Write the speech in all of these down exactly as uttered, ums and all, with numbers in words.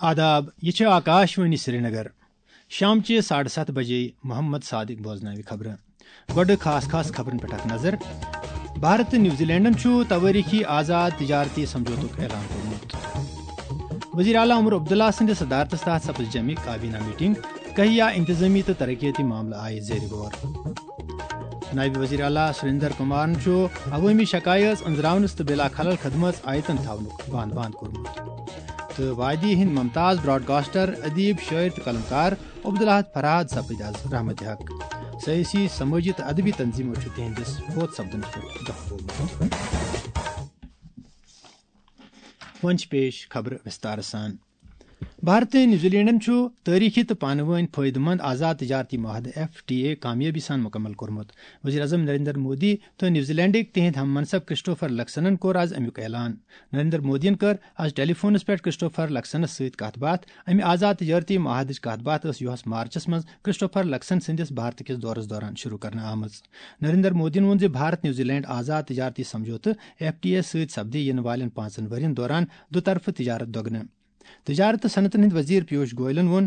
آداب، یہِ چھِ آکاشوانی سرینگر۔ شامچہِ ساڑٕ ستھ بجے محمد صادق بوزناوِ خبرٕ۔ گۄڈٕ خاص خاص خبرن پٮ۪ٹھ اکھ نظر۔ بھارت تہٕ نیوزی لینڈن چھُ توٲریخی آزاد تجارتی سمجھوتُک اعلان کوٚرمُت۔ وزیر اعلیٰ عمر عبداللہ سٕنٛدِ صدارتس تحت سپٕز جمعی کابینہ میٹنگ، کہیا انتظامی تہٕ ترقیتی معاملہٕ آیہِ زیر غور۔ نائب وزیر اعلیٰ سریندر کمارن چھُ عوٲمی شکایٲژ أنٛزراونس تہٕ بلا خلل خدمژ آیتن تھاونُک بند بند کوٚرمُت۔ تہٕ وادی ہٕنٛدۍ ممتاز براڈکاسٹر، ادیب، شٲعر تہٕ قلمکار عبدالاحد فرہاد سپٕدۍ از رحمت حق۔ سیٲسی، سمٲجی تہٕ ادبی تنظیمو چھُ تِہنٛدِس فوت سپدنس پٮ۪ٹھ دۄکھ بوٚرمُت۔ وۄنۍ چھِ پیش خبرٕ وِستارٕ سان۔ بھارت تہٕ نیوزی لینڈن چھُ تٲریخی تہٕ پانہٕ وٲنۍ فٲیدٕ مند آزاد تجارتی معاہدٕ، ایف ٹی اے، کامیٲبی سان مکمل کوٚرمُت۔ وزیر اعظم نریندر مودی تہٕ نیوزی لینڈٕکۍ تِہنٛدۍ ہم منصب کرسٹوفر لکسنن کوٚر از امیُک اعلان۔ نریندر مودیَن کٔر از ٹیلی فونس پٮ۪ٹھ کرسٹوفر لکسنس سۭتۍ کتھ باتھ۔ امہِ آزاد تجارتی معاہدٕچ کتھ باتھ ٲس یُہس مارچس منٛز کرسٹوفر لکسن سٕنٛدِس بھارت کِس دورس دوران شروع کرنہٕ آمٕژ۔ نریندر مودیَن ووٚن زِ بھارت نیوزی لینڈ آزاد تجارتی سمجھوتہٕ، ایف ٹی اے، سۭتۍ سپدِ یِنہٕ والٮ۪ن پانٛژن ؤرین دوران دُطرفہٕ تجارت دۄگنہٕ۔ تجارت تہٕ صنعتن ہٕنٛدۍ وزیر پیوش گوئلن ووٚن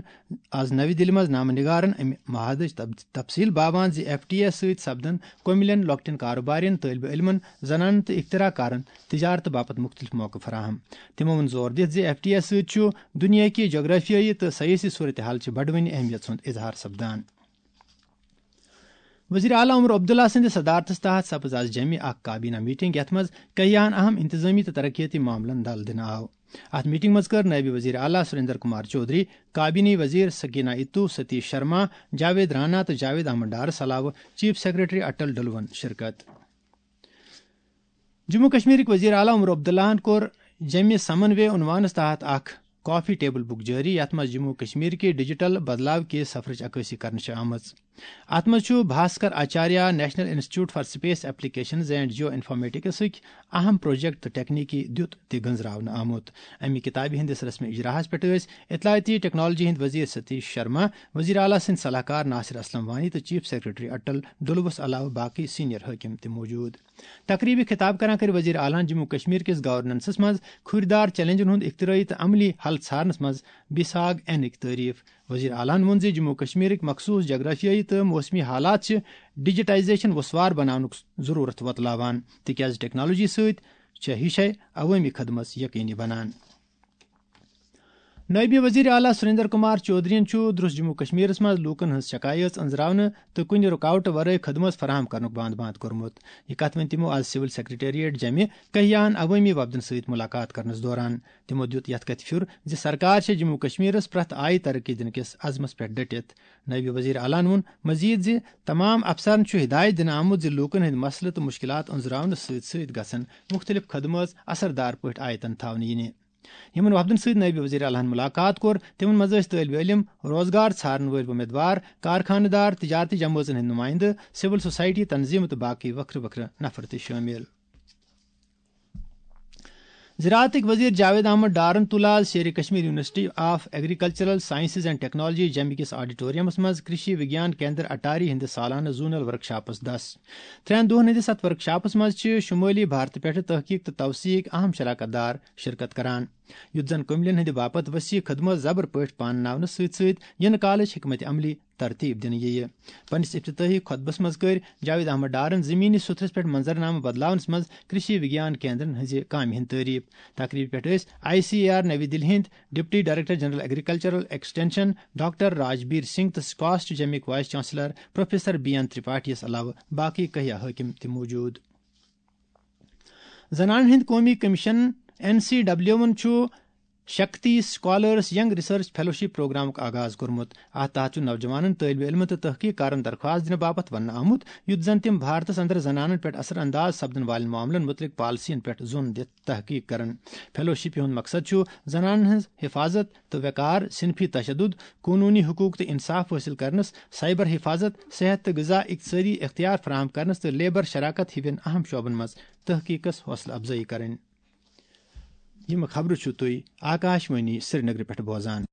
از نوِ دِلہِ منٛز نامہٕ نگارن امہِ معاہدٕچ تب-، تفصیل باوان زِ ایف ٹی اے سۭتۍ سپدن کوٚمِلٮ۪ن، لۄکٹٮ۪ن کارٕبارٮ۪ن، طٲلبہِ علمن، زنانن تہٕ اختراع کارن تجارت باپتھ مُختٔلِف موقعہٕ فراہم۔ تِمو ووٚن زور دِتھ زِ ایف ٹی اے سۭتۍ چھُ دُنیاہکہِ جغرافیٲیی تہٕ سیٲسی صورتحال چہِ بڑوٕنہِ اہمیت ہُنٛد اظہار سپدان۔ وزیر اعلیٰ عمر عبداللہ سٕنٛدِ صدارتس تحت سپٕز از جمعی اکھ کابینہ میٹنگ، یتھ منٛز کہیاہن اہم انتظامی تہٕ ترقیتی معاملن دل دِنہٕ آو۔ اتھ میٹنگ منٛز کٔر نائب وزیر اعلیٰ سریندر کمار چودھری، کابینی وزیر سکینہ اتو، ستیش شرما، جاوید رانا تہٕ جاوید احمد ڈارس علاوٕ چیف سیکرٹری اٹل ڈلون شرکت۔ جموں کشمیرٕکۍ وزیر اعلیٰ عمر عبداللہن کوٚر جمعہ سمن وے عنوانس تحت اکھ کافی ٹیبل بُک جٲری، یتھ منٛز جموں کشمیر کہِ ڈیجیٹل بدلاو کہِ سفرٕچ عکٲسی کرنہٕ چھِ آمٕژ۔ اتھ منٛز چھُ Bhaskaracharya national institute for space applications and جیو انفارمیٹکسٕکۍ اہم پروجیکٹ تہٕ ٹیکنیکی دیُت تہِ گنزراونہٕ آمُت۔ امہِ کتابہِ ہٕنٛدِس رسمی اجراہس پٮ۪ٹھ ٲسۍ اطلاعاتی ٹیکنالوجی ہٕنٛدۍ وزیر ستیش شرما، وزیر اعلیٰ سٕنٛدۍ صلاح کار ناصر اسلم وانی تہٕ چیف سیکرٹری اٹل ڈلوس علاوٕ باقی سینئر حٲکم تہِ موجود۔ تقریبہِ خطاب کران کٔر وزیر اعلیٰ ہن جموں کشمیر کِس گورننسس منٛز کھُرۍ دار چیلنجن ہُنٛد اختراعی تہٕ عملی حل ژھارنس منٛز بیساگ اینٕکۍ تعریف۔ وزیر اعلیٰ ہن ووٚن زِ جموں کشمیرٕکۍ مخصوص جغرافیٲیی تہٕ موسمی حالات چھِ ڈیجیٹائزیشن وسوار بناونُک ضرورت وۄتلاوان، تِکیازِ ٹیکنالوجی سۭتۍ چھےٚ ہِشے عوٲمی خدمت یقینی بنان۔ نٲیِب وزیر اعلیٰ سریندر کمار چودھرین چھُ درس جموں کشمیرس منٛز لوٗکن ہٕنٛز شکایٲژ أنٛزراونہٕ تہٕ کُنہِ رُکاوٹہٕ ورٲے خدمت فراہم کرنُک بانٛد بانٛد کوٚرمُت۔ یہِ کتھ ؤنۍ تِمو آز سول سیکرٹریٹ جمہِ کہیاہن عوٲمی وفدن سۭتۍ مُلاقات کرنس دوران۔ تِمو دیُت یتھ کتھِ پھیُر زِ سرکار چھےٚ جموں کشمیرس پرٛٮ۪تھ آیہِ ترقی دِنہٕ کِس عزمس پٮ۪ٹھ ڈٔٹِتھ۔ نٲیِب وزیر اعلیٰ ہن ووٚن مزید زِ تمام افسرن چھُ ہدایت دِنہٕ آمُت زِ لوٗکن ہٕنٛدۍ مسلہٕ تہٕ مُشکلات أنٛزراونہٕ سۭتۍ سۭتۍ گژھن مُختٔلِف خدمٲژ اثردار پٲٹھۍ آیتن تھاونہٕ یِنہِ۔ یِمن وفدن سۭتۍ نٲیِب وزیر اعلیٰ ہن مُلاقات کوٚر، تِمن منٛز ٲسۍ طٲلبہِ علم، روزگار ژھارن وٲلۍ وۄمیدوار، کارخانہٕ دار، تجارتی جمٲژن ہٕنٛدۍ نُمٲیندٕ، سول سوسائٹی تنظیمہٕ تہٕ باقٕے وکھرٕ وکھرٕ نفر تہِ شٲمِل۔ زراعتٕکۍ وزیر جاوید احمد ڈارن تُل آز Sher-e Kashmir university of agricultural sciences and technology جمہِ کِس آڈیٹوریمس منٛز کرشی وگیان کیندر اٹاری ہٕنٛدِس سالانہٕ زونل ورکشاپس دس۔ ترٛٮ۪ن دۄہن ہٕنٛدِس اتھ ورکشاپس منٛز چھِ شمٲلی بھارتہٕ پٮ۪ٹھٕ تحقیق تہٕ توسیعٕکۍ اہم شراکت دار شرکت کران، یُتھ زن کٔملین ہٕنٛدِ باپتھ وسیع خدمت زبر پٲٹھۍ پانہٕ ناونہٕ سۭتۍ سۭتۍ یِنہٕ کالٕچ حکمت عملی ترتیب دِنہٕ یِیہِ۔ پننِس افتتاحی خطبس منٛز کٔرۍ جاوید احمد ڈارن زمینی سُتھرس پٮ۪ٹھ منظرنامہٕ بدلاونس منٛز کرشی وگیان کیندرن ہٕنٛزِ کامہِ ہٕنٛدۍ تعریف۔ تقریبہِ پٮ۪ٹھ ٲسۍ آئی سی اے آر نوی دِلہِ ہٕنٛدۍ deputy director general agricultural extension doctor Rajbir Singh تہٕ سکاسٹ جمِک vice chancellor professor B N Tripathi یس علاوٕ باقی کہیا حٲکم تہِ موجود۔ زنانن ہٕنٛدۍ قومی کمیشن، این سی ڈبلیو ون چھُ Shakti scholars young research fellowship پروگرامُک آغاز کوٚرمُت۔ اتھ تحت چھُ نوجوانن، طٲلبہِ علمن تہٕ تحقیق کارن درخواست دِنہٕ باپتھ وننہٕ آمُت، یُتھ زن تِم بھارتس اندر زنانن پٮ۪ٹھ اثر انداز سپدن والٮ۪ن معاملن متعلق پالیسین پٮ۪ٹھ زون دِتھ تحقیق کرن۔ فیلوشپ ہُنٛد مقصد چھُ زنانن ہٕنٛز حفاظت تہٕ وقار، صنفی تشدد، قونوٗنی حقوق تہٕ انصاف حٲصِل کرنس، سائبر حفاظت، صحت تہٕ غذا، اقتصٲدی اختیار فراہم کرنس تہٕ لیبر شراکت ہِوٮ۪ن اہم شعبن منٛز تحقیقس حوصلہٕ افزٲیی کرٕنۍ۔ یِم خبرٕ چھِو تُہۍ آکاشوانی سرینگرٕ پٮ۪ٹھ بوزان۔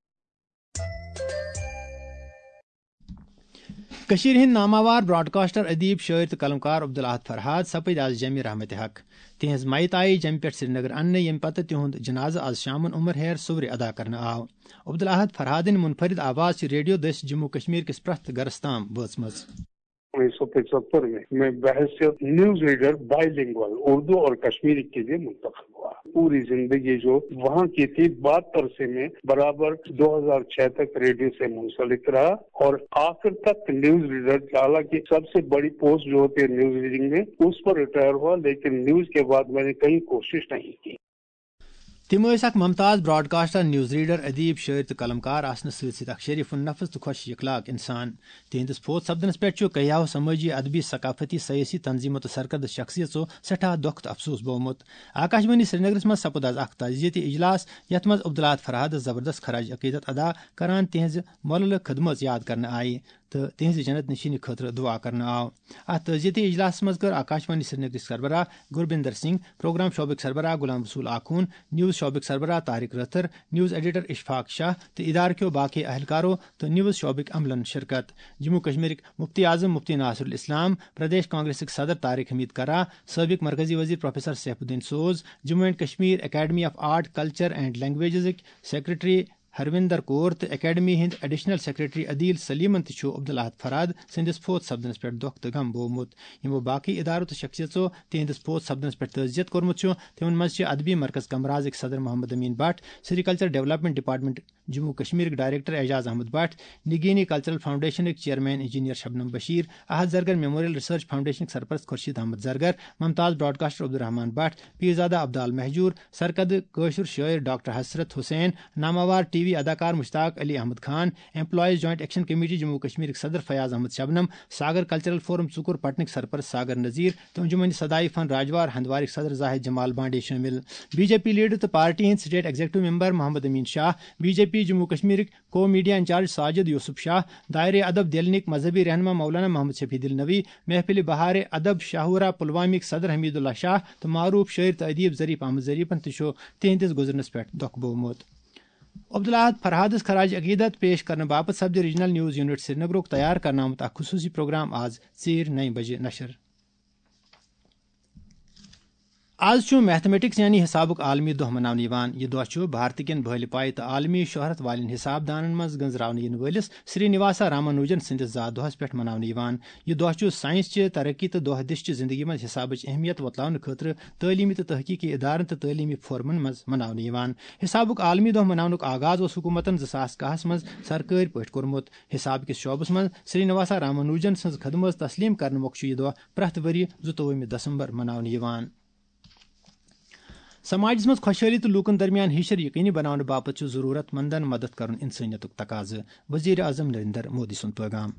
کٔشیٖرِ ہٕنٛدۍ ناماوار براڈکاسٹر، ادیب، شٲعر تہٕ قلمکار عبدالاحد فرہاد سپٕدۍ آز جمِ رحمتِ حق۔ تِہنٛز میت آیہِ جمہِ پٮ۪ٹھ سرینگر اننہٕ، ییٚمہِ پتہٕ تِہُنٛد جنازٕ آز شامن عمر ہیر صُبرِ ادا کرنہٕ آو۔ عبدالاحد فرہادٕنۍ منفرد آواز چھِ ریڈیو دٔسۍ جموں کشمیر کِس پرٛٮ۪تھ گرس تام وٲژمٕژ۔ انیس سو پچہتر میں میں بحیثیت news reader by lingual Urdu اور کشمیری کے لیے منتخب ہوا۔ پوری زندگی جو وہاں کی تھی، بہتر سے میں برابر دو ہزار چھ تک ریڈیو سے منسلک رہا اور آخر تک نیوز ریڈر، حالانکہ سب سے بڑی پوسٹ جو ہوتی ہے نیوز ریڈنگ میں، اس پر ریٹائر ہوا، لیکن نیوز کے بعد میں نے کہیں کوشش نہیں کی۔ تِم ٲسۍ اکھ ممتاز براڈکاسٹر، نیوز ریڈر، ادیب، شٲعر تہٕ قلمکار آسنہٕ سۭتۍ سۭتۍ اکھ شریف النفس تہٕ خۄش اخلاق انسان۔ تِہنٛدِس فوت سپدنس پٮ۪ٹھ چھُ کیاہو سمٲجی، ادبی، ثقافتی، سیٲسی تنظیمو تہٕ سرکردٕ شخصیژو سٮ۪ٹھاہ دۄکھ تہٕ افسوس بوومُت۔ آکاشوانی سرینگرس منٛز سپُد آز اکھ تعزیتی اجلاس، یتھ منٛز عبدالاحد فرہادس زبردست خراج عقیدت ادا کران تِہنٛزِ مۄللہٕ خدمژ یاد کرنہٕ آیہِ تہٕ تِہنٛزِ جنت نشینی خٲطرٕ دعا کرنہٕ آو۔ اتھ تعزیتی اجلاسس منٛز کٔر آکاشوانی سرینگرٕکۍ سربراہ گربندر سنگھ، پروگرام شعبٕکۍ سربراہ غلام رسول آخون، نیوز شعبٕکۍ سربراہ طارق رٲتھر، نیوز ایڈیٹر اشفاق شاہ تہٕ ادارٕ کیو باقی اہلکارو تہٕ نیوز شعبٕکۍ عملن شرکت۔ جموں کشمیرٕکۍ مفتی اعظم مفتی ناصر الاسلام، پردیش کانگریسٕکۍ صدر طارق حمید کرا، سٲبق مرکزی وزیر professor Saif Uddin Soz, Jammu and Kashmir academy of art, culture and لینگویجزٕکۍ سیکرٹری ہروندر کور تہٕ اکیڈمی ہٕنٛدۍ ایڈیشنل سیکرٹری عدیل سلیمن تہِ چھُ عبدالاحد فرہاد سٕنٛدِس فوت سپدنس پٮ۪ٹھ دۄکھ تہٕ غم بوومُت۔ یِمو باقی ادارو تہٕ شخصیژو تِہنٛدِس فوت سپدنس پٮ۪ٹھ تعزیت کوٚرمُت چھُ، تِمن منٛز چھِ ادبی مرکز کمرازٕکۍ صدر محمد امین بٹ، سری کلچر ڈیولپمنٹ ڈپارٹمنٹ جموں کشمیرٕکۍ ڈائریکٹر اعجاز احمد بٹ، نگینی کلچرل فاؤنڈیشنٕکۍ chairman engineer Shabnam Bashir, Ahad Zargar memorial research فاؤنڈیشنٕکۍ سرپرست خورشید احمد زرگر، ممتاز براڈکاسٹر عبدالرحمان بٹ، پیرزادہ عبدال مہجور، سرکردٕ کٲشُر شٲعر ڈاکٹر حسرت حسین، ناماوار ٹی وی اداکار Mushtaq Ali Ahmad Khan, employees joint action committee Jammu کشمیرٕکۍ صدر فیاض احمد شبنم، ساگر کلچرل فورم ژُکُر پٹنٕکۍ سرپرست ساگر نذیر تہٕ انجمن سدائے فن راجوار ہندوارٕکۍ صدر زاہد جمال بانڈے شٲمِل۔ بی جے پی لیڈر تہٕ پارٹی ہٕنٛدۍ state executive member Mohammad Amin Shah, B J P Jammu کشمیرٕکۍ co media incharge Sajid Yousuf Shah, دائرہ ادب دلنٕکۍ مذہبی رہنما مولانا محمد شفیع دلنوی، محفل بہار ادب شاہورہ پلوامٕکۍ صدر حمید اللہ شاہ تہٕ معروف شٲعر تہٕ ادیب ظریف احمد ظریفن تہِ چھُ تِہنٛدِس گُزرنس پٮ۪ٹھ دۄکھ بوومُت۔ عبدالاحد فرہادس خراج عقیدت پیش کرنہٕ باپتھ سپدِ ریجنل نیوز یونٹ سرینگرُک تیار کرنہٕ آمُت اکھ خصوصی پروگرام آز ژیٖرۍ نَیہِ بجہِ نشر۔ آز چھُ میتھمیٹکس یعنی حسابُک عالمی دۄہ مناونہٕ یِوان۔ یہِ دۄہ چھُ بھارتہٕ کٮ۪ن بھٲلہِ پایہِ تہٕ عالمی شہرت والٮ۪ن حساب دانن منٛز گٔنزراونہٕ یِنہٕ وٲلِس سری نواسا رامانوجن سٕنٛدِس زا دۄہس پٮ۪ٹھ مناونہٕ یِوان۔ یہِ دۄہ چھُ ساینس چہِ ترقی تہٕ دۄہ دِش چہِ زندگی منٛز حسابٕچ اہمیت وۄتلاونہٕ خٲطرٕ تعلیمی تہٕ تحقیقی ادارن تہٕ تعلیمی فورمن منٛز مناونہٕ یِوان۔ حسابُک عالمی دۄہ مناونُک آغاز اوس حکومتن زٕ ساس کاہس منٛز سرکٲرۍ پٲٹھۍ کوٚرمُت۔ حساب کِس شعبس منٛز سری نواسا رامانوجن سٕنٛز خدمژ تسلیم کرنہٕ مۄکھٕ چھُ یہِ دۄہ پرٛٮ۪تھ ؤرۍ یہِ زٕتووُہمہِ دسمبر مناونہٕ یِوان۔ سماجس منٛز خۄشحٲلی تہٕ لوٗکن درمیان ہِشر یقینی بناونہٕ باپتھ چھُ ضروٗرت مندن مدد کرُن انسٲنیتُک تقاضہٕ، وزیر اعظم نریندر مودی سُنٛد پیغام۔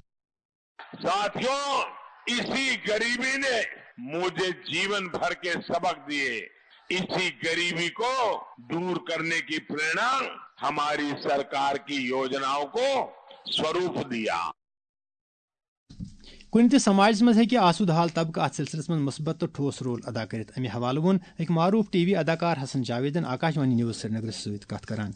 ساتھیوں، اسی غریبی نے مجھے جیون بھر کے سبق دیے۔ اسی غریبی کو दूर करने की प्रेरणा हमारी सरकार की योजनाओं को स्वरूप दिया। کُنہِ تہِ سماجس منٛز ہیٚکہِ آسودٕ حال طبقہٕ اتھ سلسلس منٛز مثبت تہٕ ٹھوس رول ادا کٔرِتھ۔ امہِ حوالہٕ ووٚن أکۍ معروف ٹی وی اداکار حسن جاویدن آکاشوانی نیوز سرینگرس سۭتۍ کتھ کران۔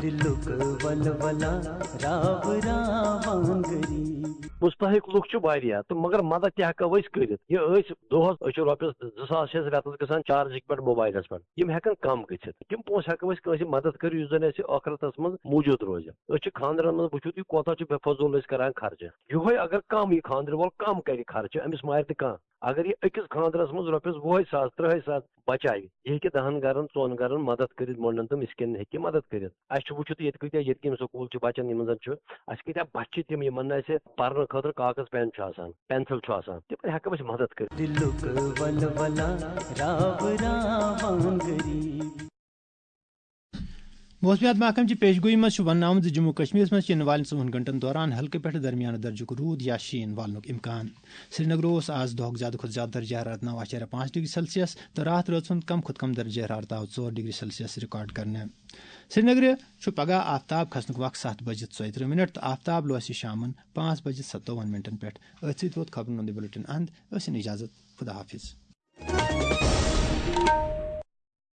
دِلُک ولولہ راو راوان غریب۔ مستحق لُکھ چھِ واریاہ تہٕ مگر مدد تہِ ہٮ۪کو أسۍ کٔرِتھ۔ یہِ أسۍ دۄہس، أسۍ چھِ رۄپیس زٕ ساس چھِ اَسہِ رٮ۪تس گژھان چارجِنگ پٮ۪ٹھ موبایلس پٮ۪ٹھ، یِم ہٮ۪کن کم گٔژھِتھ۔ تِم پونٛسہٕ ہٮ۪کو أسۍ کٲنٛسہِ مدد کٔرِتھ یُس زن اَسہِ ٲخرتس منٛز موٗجوٗد روزِ۔ أسۍ چھِ خانٛدرن منٛز وٕچھِو تُہۍ کوتاہ چھُ بے فضوٗل أسۍ کران خرچہٕ۔ یِہوٚے اگر کم یہِ خانٛدرٕ وول کم کرِ خرچہٕ، أمِس مارِ نہٕ کانٛہہ۔ اگر یہِ أکِس خانٛدرس منٛز رۄپیس وُہے ساس، ترٕٛہے ساس بچاوِ، یہِ ہیٚکہِ دَہن گرن، ژۄن گرن مدد کٔرِتھ، مۄنڈن تہٕ مسکیٖنن ہیٚکہِ یہِ مدد کٔرِتھ۔ اَسہِ چھُ وٕچھِتھ ییٚتہِ کۭتیٛاہ یتیٖم سکوٗل چھِ بچن یِمن زن چھُ، اَسہِ کۭتیٛاہ بچہِ چھِ تِم یِمن نہٕ اَسہِ پرنہٕ خٲطرٕ کاغذ پٮ۪ن چھُ آسان، پینسل چھُ آسان، تِمن ہٮ۪کو أسۍ مدد کٔرِتھ۔ دِلُک ولولہ راو راوان غریب۔ موسمیات محکمہٕ چہِ پیش گویی منٛز چھُ وننہٕ آمُت زِ جموں کشمیرس منٛز چھِ یِنہٕ والٮ۪ن ژوٚوُہن گھنٹن دوران ہلکہٕ پٮ۪ٹھٕ درمیانہٕ درجُک روٗد یا شیٖن والنُک امکان۔ سرینگرٕ اوس آز دۄہُک زیادٕ کھۄتہٕ زیادٕ درجہ حرارت نَو اَشاریہ پانٛژھ ڈگری سیلسیس تہٕ راتھ رٲژ ہُنٛد کم کھۄتہٕ کم درجہ حرارت آو ژور ڈگری سیلسیس رِکارڈ کرنہٕ۔ سرینگرٕ چھُ پگہہ آفتاب کھسنُک وق ستھ بجہِ ژۄیہِ ترٕٛہ منٹ تہٕ آفتاب لوسہِ شامن پانٛژھ بجہِ ستووُہن منٹن پٮ۪ٹھ۔ أتھۍ سۭتۍ ووت خبرن ہُنٛد یہِ بلیٹن اند۔ ٲسِن اجازت۔ خدا حافظ۔